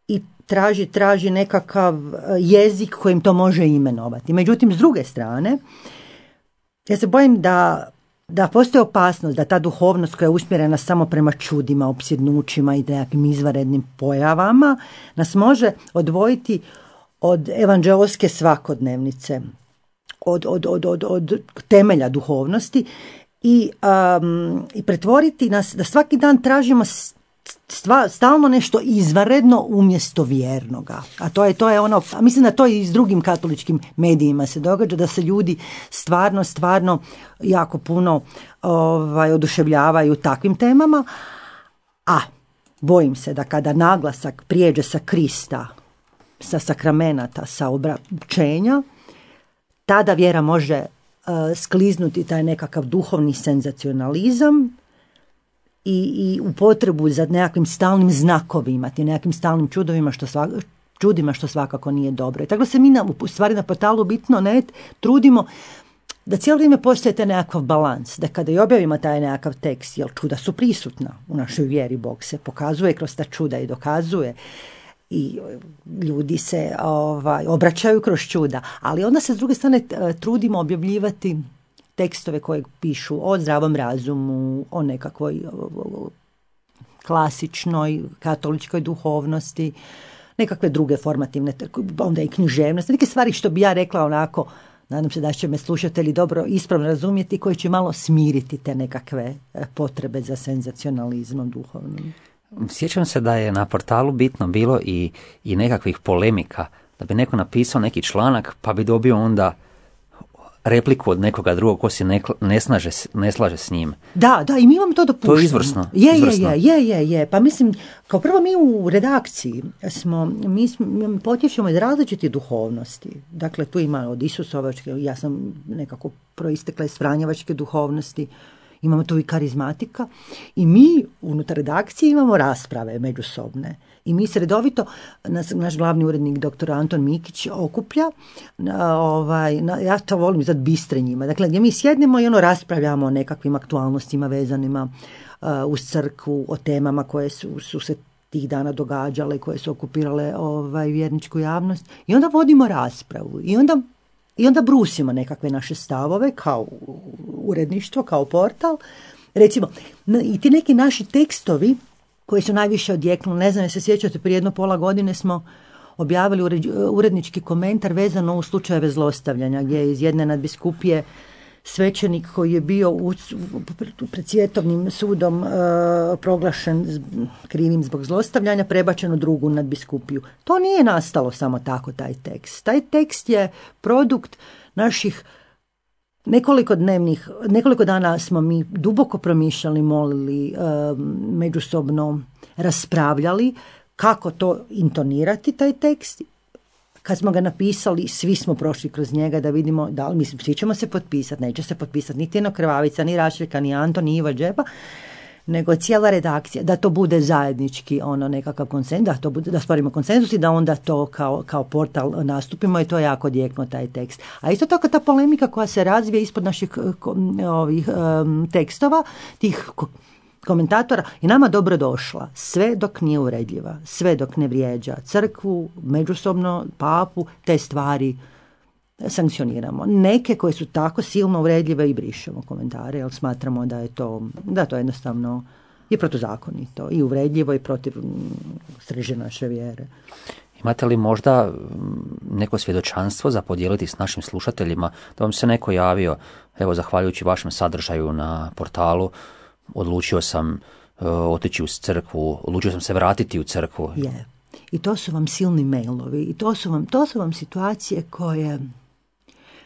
i traži, traži nekakav jezik kojim to može imenovati. Međutim, s druge strane, ja se bojim da, da postoji opasnost da ta duhovnost koja je usmjerena samo prema čudima, opsjednućima i nekakvim izvanrednim pojavama nas može odvojiti od evanđeoske svakodnevnice, od, od, od, od, od temelja duhovnosti i, um, i pretvoriti nas da svaki dan tražimo stva, stalno nešto izvanredno umjesto vjernoga. A to je, to je ono, a mislim da to i s drugim katoličkim medijima se događa, da se ljudi stvarno, stvarno jako puno ovaj, oduševljavaju takvim temama, a bojim se da kada naglasak prijeđe sa Krista, sa sakramenata, sa obraćenja, tada vjera može uh, skliznuti taj nekakav duhovni senzacionalizam i, i u potrebu za nekakvim stalnim znakovima, ti nekakvim stalnim čudovima što svak, čudima što svakako nije dobro. I tako se mi na, u stvari na portalu Bitno net trudimo da cijelo vrijeme postoji taj nekakav balans, da kada i objavimo taj nekakav tekst, jer čuda su prisutna u našoj vjeri, Bog se pokazuje kroz ta čuda i dokazuje i ljudi se ovaj, obraćaju kroz čuda, ali onda se s druge strane trudimo objavljivati tekstove koje pišu o zdravom razumu, o nekakvoj o, klasičnoj katoličkoj duhovnosti, nekakve druge formativne, onda i književnosti, neke stvari što bi ja rekla onako, nadam se da će me slušatelji dobro ispravno razumjeti, koji će malo smiriti te nekakve potrebe za senzacionalizmom duhovnim. Sjećam se da je na portalu Bitno bilo i, i nekakvih polemika, da bi neko napisao neki članak pa bi dobio onda repliku od nekoga drugog ko se ne, ne, snaže, ne slaže s njim. Da, da, i mi vam to dopuštamo. To je izvrsno. Je, izvrsno. je, je, je, je. Pa mislim, kao prvo mi u redakciji smo, mi, smo, mi potječemo iz različitih duhovnosti. Dakle, tu ima od Isusovačke, ja sam nekako proistekla iz Franjevačke duhovnosti, imamo tu i karizmatika i mi unutar redakcije imamo rasprave međusobne. I mi se redovito, naš, naš glavni urednik doktor Anton Mikić okuplja, ovaj, na, ja to volim zvati bistrenjima, dakle gdje mi sjednemo i ono raspravljamo o nekakvim aktualnostima vezanima uh, uz crkvu, o temama koje su, su se tih dana događale, koje su okupirale ovaj, vjerničku javnost i onda vodimo raspravu i onda I onda brusimo nekakve naše stavove kao uredništvo, kao portal. Recimo, i ti neki naši tekstovi koji su najviše odjeknuli, ne znam, je se sjećate, prije jedno pola godine smo objavili urednički komentar vezano u slučajeve zlostavljanja, gdje je iz jedne nadbiskupije svećenik koji je bio u, pred svjetovnim sudom e, proglašen krivim zbog zlostavljanja, prebačen u drugu nadbiskupiju. To nije nastalo samo tako, taj tekst. Taj tekst je produkt naših nekoliko dnevnih, nekoliko dana smo mi duboko promišljali, molili, e, međusobno raspravljali kako to intonirati, taj tekst, kad smo ga napisali, svi smo prošli kroz njega da vidimo da li, mislim, svi ćemo se potpisati, neće se potpisati niti jedno Krvavica, ni Rašeljka, ni Anton, ni Iva Džepa, nego cijela redakcija, da to bude zajednički ono nekakav konsenzus, da to bude, da stvorimo konsenzus i da onda to kao, kao portal nastupimo i to je jako direktno taj tekst. A isto tako ta polemika koja se razvije ispod naših ovih um, tekstova, tih komentatora i nama dobro došla, sve dok nije uvredljiva, sve dok ne vrijeđa crkvu, međusobno, papu, te stvari sankcioniramo. Neke koje su tako silno uvredljive i brišemo komentare, jer smatramo da je to, da to jednostavno je protuzakonito i uvredljivo i protiv sreže naše vjere. Imate li možda neko svjedočanstvo za podijeliti s našim slušateljima, da vam se neko javio, evo zahvaljujući vašem sadržaju na portalu, odlučio sam uh, otići u crkvu, odlučio sam se vratiti u crkvu. Je. I to su vam silni mailovi i to su vam, to su vam situacije koje,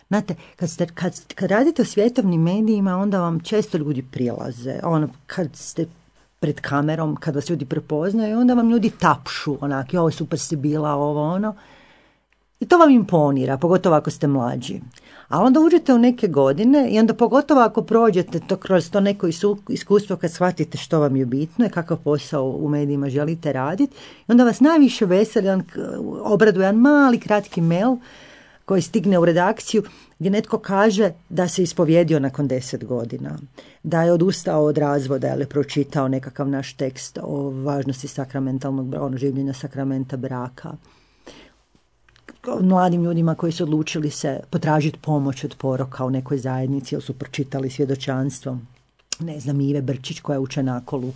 znate, kad, ste, kad, kad radite u svjetovnim medijima, onda vam često ljudi prilaze. Ono, kad ste pred kamerom, kad vas ljudi prepoznaju, onda vam ljudi tapšu, onak, joj, super si bila, ovo, ono. I to vam imponira, pogotovo ako ste mlađi. A onda uđete u neke godine i onda pogotovo ako prođete to kroz to neko iskustvo kad shvatite što vam je bitno i kakav posao u medijima želite raditi, i onda vas najviše veseli, obraduje jedan mali kratki mail koji stigne u redakciju gdje netko kaže da se ispovjedio nakon deset godina, da je odustao od razvoda, jer je pročitao nekakav naš tekst o važnosti sakramentalnog ono, življenja sakramenta braka. Mladim ljudima koji su odlučili se potražiti pomoć od poroka u nekoj zajednici, jer su pročitali svjedočanstvo, ne znam, Ive Brčić koja je u Čanakolu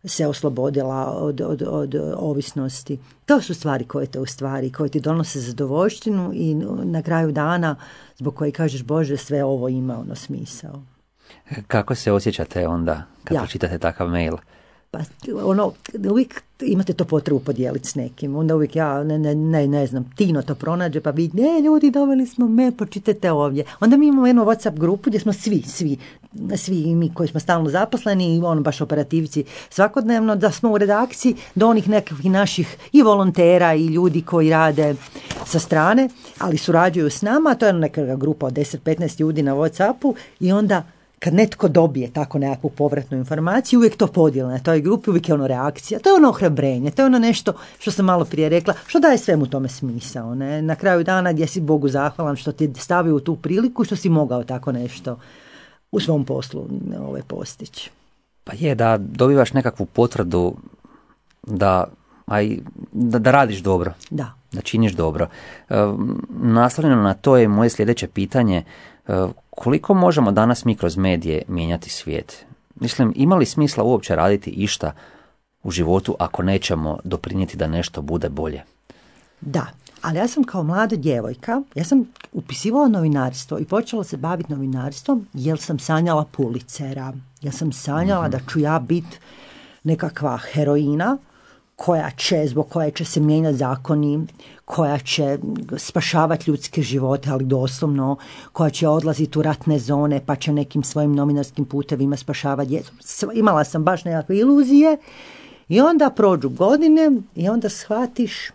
se oslobodila od, od, od ovisnosti. To su stvari koje te u stvari, koje ti donose zadovoljštinu i na kraju dana zbog koje kažeš, Bože, sve ovo ima ono smisao. Kako se osjećate onda kad ja. pročitate takav mail? Pa ono, uvijek imate to potrebu podijeliti s nekim. Onda uvijek ja, ne, ne, ne, ne znam, Tino to pronađe pa vidi, ne ljudi, dobili smo mail, pročitajte ovdje. Onda mi imamo jednu WhatsApp grupu gdje smo svi, svi, svi mi koji smo stalno zaposleni i ono baš operativci svakodnevno, da smo u redakciji do onih nekakvih naših i volontera i ljudi koji rade sa strane, ali surađuju s nama. To je neka grupa od deset do petnaest ljudi na WhatsAppu i onda kad netko dobije tako nekakvu povratnu informaciju, uvijek to podijeli na toj grupi, uvijek je ono reakcija, to je ono ohrabrenje, to je ono nešto što sam malo prije rekla, što daje svemu tome smisao. Ne? Na kraju dana gdje si Bogu zahvalan što ti je stavio u tu priliku, što si mogao tako nešto u svom poslu ovaj, postići. Pa je da dobivaš nekakvu potvrdu da, aj, da, da radiš dobro, da. da činiš dobro. E, naslonjeno na to je moje sljedeće pitanje, e, koliko možemo danas mi kroz medije mijenjati svijet? Mislim, ima li smisla uopće raditi išta u životu ako nećemo doprinijeti da nešto bude bolje? Da, ali ja sam kao mlada djevojka, ja sam upisivala novinarstvo i počela se baviti novinarstvom jer sam sanjala Pulitzera. Ja sam sanjala mm-hmm. da ću ja biti nekakva heroina koja će, zbog koje će se mijenjati zakoni, koja će spašavati ljudske živote, ali doslovno, koja će odlaziti u ratne zone, pa će nekim svojim novinarskim putevima spašavati djecu. Imala sam baš nekakve iluzije i onda prođu godine i onda shvatiš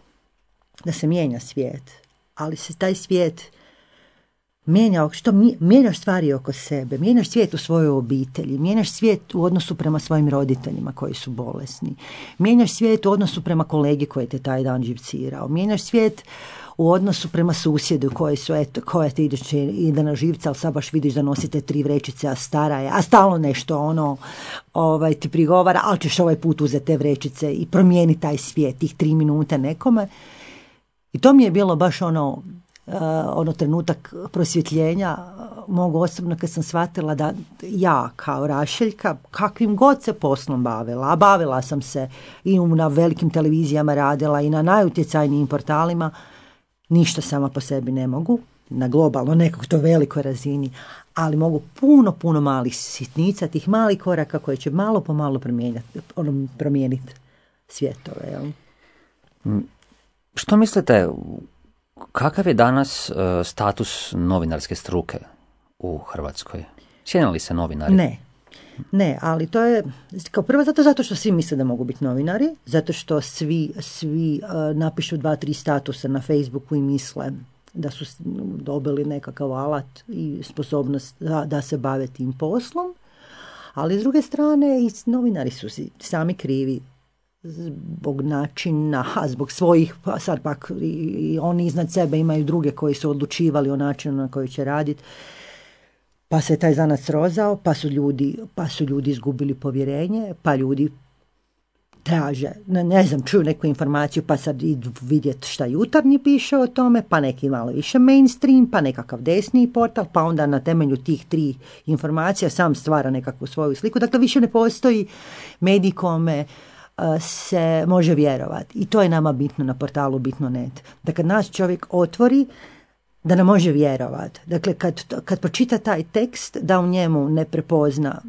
da se mijenja svijet, ali se taj svijet mijenja, što mijenjaš stvari oko sebe, mijenjaš svijet u svojoj obitelji, mijenjaš svijet u odnosu prema svojim roditeljima koji su bolesni, mijenjaš svijet u odnosu prema kolegi koji te taj dan živcirao, mijenjaš svijet u odnosu prema susjedu koji su, eto, koja ti ide, ide na živca, ali sad baš vidiš da nosite tri vrećice, a stara je, a stalno nešto ono ovaj, ti prigovara, ali ćeš ovaj put uzeti te vrećice i promijeniti taj svijet, tih tri minute nekome. I to mi je bilo baš ono, Uh, ono trenutak prosvjetljenja uh, mogu osobno kad sam shvatila da ja kao Rašeljka kakvim god se poslom bavila, a bavila sam se i na velikim televizijama radila i na najutjecajnijim portalima, ništa sama po sebi ne mogu, na globalno nekog to velikoj razini, ali mogu puno, puno malih sitnica, tih malih koraka koje će malo po malo promijeniti, ono, promijeniti svjetove. Jel? Što mislite, kakav je danas uh, status novinarske struke u Hrvatskoj? Cijene li se novinari? Ne. Ne, ali to je kao prvo zato, zato što svi misle da mogu biti novinari, zato što svi, svi uh, napišu dva, tri statusa na Facebooku i misle da su dobili nekakav alat i sposobnost da, da se bave tim poslom, ali s druge strane i novinari su si sami krivi zbog načina, zbog svojih, pa sad pak i, i oni iznad sebe imaju druge koji su odlučivali o načinu na koji će raditi. Pa se taj zanac rozao, pa su ljudi, pa su ljudi izgubili povjerenje, pa ljudi traže, ne, ne znam, čuju neku informaciju, pa sad idu vidjeti šta Jutarnji piše o tome, pa neki malo više mainstream, pa nekakav desni portal, pa onda na temelju tih tri informacija sam stvara nekakvu svoju sliku. Dakle, više ne postoji medij kome uh, se može vjerovati. I to je nama bitno na portalu Bitno net. Da kad nas čovjek otvori, da nam može vjerovati. Dakle, kad, kad pročita taj tekst, da u njemu ne prepozna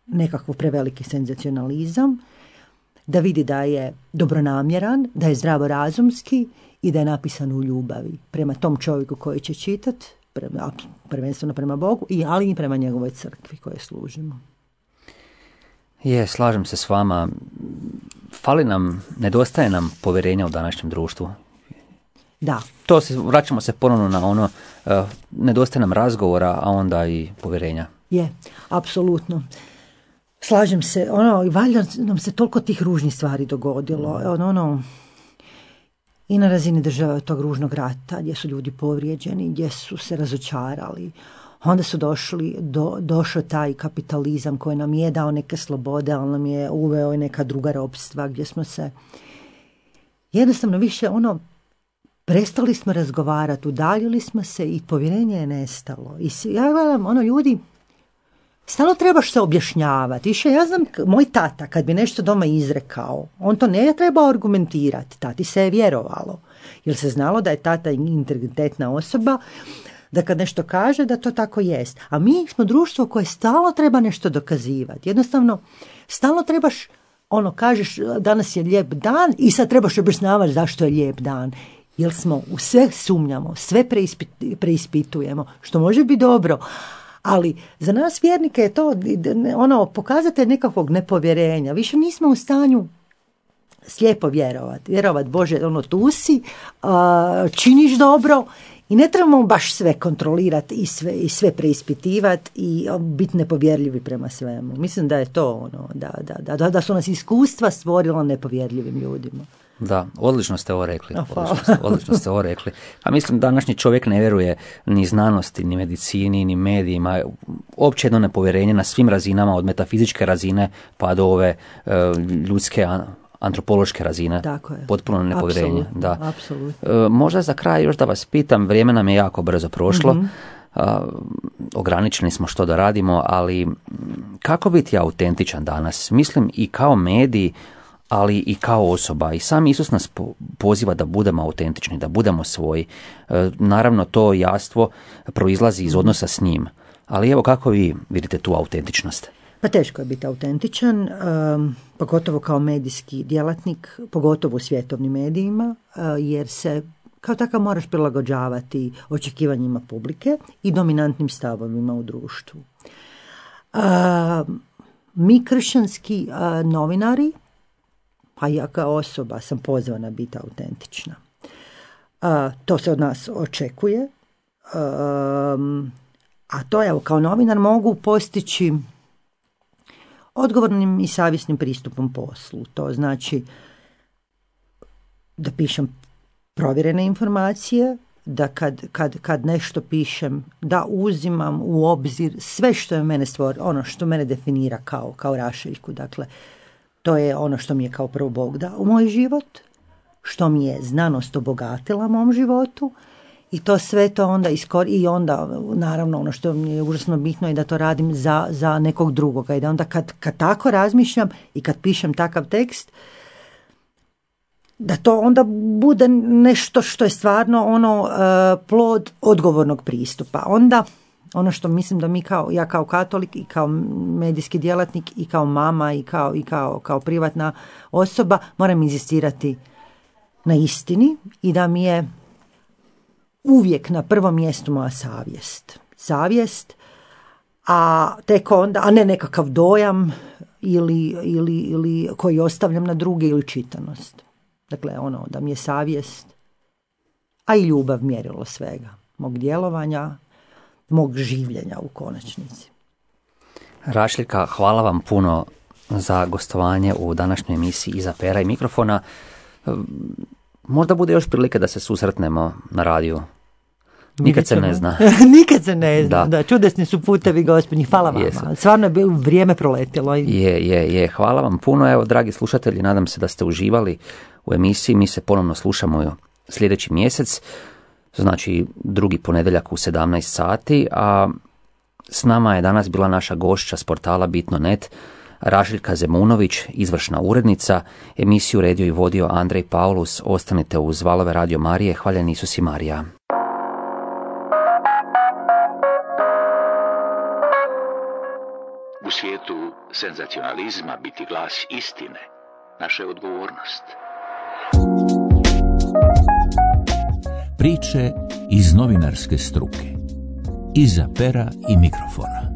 nekakvu preveliki senzacionalizam, da vidi da je dobronamjeran, da je zdravorazumski i da je napisan u ljubavi prema tom čovjeku koji će čitati, prema, prvenstveno prema Bogu, i, ali i prema njegovoj crkvi koje služimo. Je, slažem se s vama. Fali nam, nedostaje nam povjerenja u današnjem društvu. Da. To se, vraćamo se ponovno na ono, uh, nedostaje nam razgovora, a onda i povjerenja. Je, apsolutno. Slažem se, ono, valjda nam se toliko tih ružnih stvari dogodilo, ono, ono, i na razini države tog ružnog rata, gdje su ljudi povrijeđeni, gdje su se razočarali, onda su došli, do, došao taj kapitalizam koji nam je dao neke slobode, ali nam je uveo i neka druga ropstva, gdje smo se jednostavno više, ono, prestali smo razgovarati, udaljili smo se i povjerenje je nestalo. I ja gledam, ono, ljudi, stalno trebaš se objašnjavati. Više, ja znam, moj tata, kad bi nešto doma izrekao, on to ne treba argumentirati. Tati se je vjerovalo. Jer se znalo da je tata integritetna osoba, da kad nešto kaže, da to tako jest. A mi smo društvo koje stalno treba nešto dokazivati. Jednostavno, stalno trebaš, ono, kažeš, danas je lijep dan i sad trebaš objašnjavati zašto je lijep dan. Jer smo u sve sumnjamo, sve preispitujemo, što može biti dobro. Ali za nas vjernike je to ono pokazatelj nekakvog nepovjerenja. Više nismo u stanju slijepo vjerovati. Vjerovati, Bože, ono, tu si, a, činiš dobro i ne trebamo baš sve kontrolirati i sve, i sve preispitivati i biti nepovjerljivi prema svemu. Mislim da je to ono, da, da, da, da su nas iskustva stvorila nepovjerljivim ljudima. Da, odlično ste ovo rekli. Odlično ste, odlično ste ovo rekli. A mislim, današnji čovjek ne vjeruje ni znanosti, ni medicini, ni medijima. Opće jedno nepovjerenje na svim razinama, od metafizičke razine pa do ove uh, ljudske antropološke razine. Tako je. Potpuno nepovjerenje. Apsolutno, da. apsolutno. Uh, možda za kraj još da vas pitam, vrijeme nam je jako brzo prošlo. Mm-hmm. Uh, ograničeni smo što da radimo, ali kako biti autentičan danas? Mislim i kao mediji, ali i kao osoba. I sam Isus nas poziva da budemo autentični, da budemo svoji. E, naravno, to jastvo proizlazi iz odnosa s njim. Ali evo, kako vi vidite tu autentičnost? Pa teško je biti autentičan, um, pogotovo kao medijski djelatnik, pogotovo u svjetovnim medijima, uh, jer se kao takav moraš prilagođavati očekivanjima publike i dominantnim stavovima u društvu. Uh, mi kršćanski uh, novinari, a ja kao osoba sam pozvana biti autentična. Uh, to se od nas očekuje. Um, a to je, kao novinar mogu postići odgovornim i savjesnim pristupom poslu. To znači da pišem provjerene informacije, da kad, kad, kad nešto pišem, da uzimam u obzir sve što je mene stvori, ono što mene definira kao, kao Rašeljku. Dakle, to je ono što mi je kao prvo Bog dao u moj život, što mi je znanost obogatila mom životu i to sve to onda iskor i onda naravno ono što mi je užasno bitno je da to radim za, za nekog drugoga i da onda kad, kad tako razmišljam i kad pišem takav tekst, da to onda bude nešto što je stvarno ono uh, plod odgovornog pristupa. Onda ono što mislim da mi kao, ja kao katolik i kao medijski djelatnik i kao mama i kao, i kao, kao privatna osoba moram inzistirati na istini i da mi je uvijek na prvom mjestu moja savjest. Savjest a tek onda, a ne nekakav dojam ili, ili, ili koji ostavljam na druge ili čitanost. Dakle, ono, da mi je savjest, a i ljubav mjerilo svega. Mog djelovanja, mog življenja u konačnici. Rašljika, hvala vam puno za gostovanje u današnjoj emisiji Iza pera i mikrofona. Možda bude još prilike da se susretnemo na radiju. Nikad se ne zna. Nikad se ne zna, da. da. Čudesni su putevi gospodnji, hvala vam. Jesu. Stvarno je bilo vrijeme proletjelo. Je, je, je. Hvala vam puno. Evo, dragi slušatelji, nadam se da ste uživali u emisiji. Mi se ponovno slušamo sljedeći mjesec, znači drugi ponedjeljak u sedamnaest sati, a s nama je danas bila naša gošća s portala Bitno punto net, Rašiljka Zemunović, izvršna urednica. Emisiju redio i vodio Andrej Paulus. Ostanite uz valove Radio Marije. Hvaljen Isus i Marija. U svijetu senzacionalizma biti glas istine, naša je odgovornost. Priče iz novinarske struke. Iza pera i mikrofona.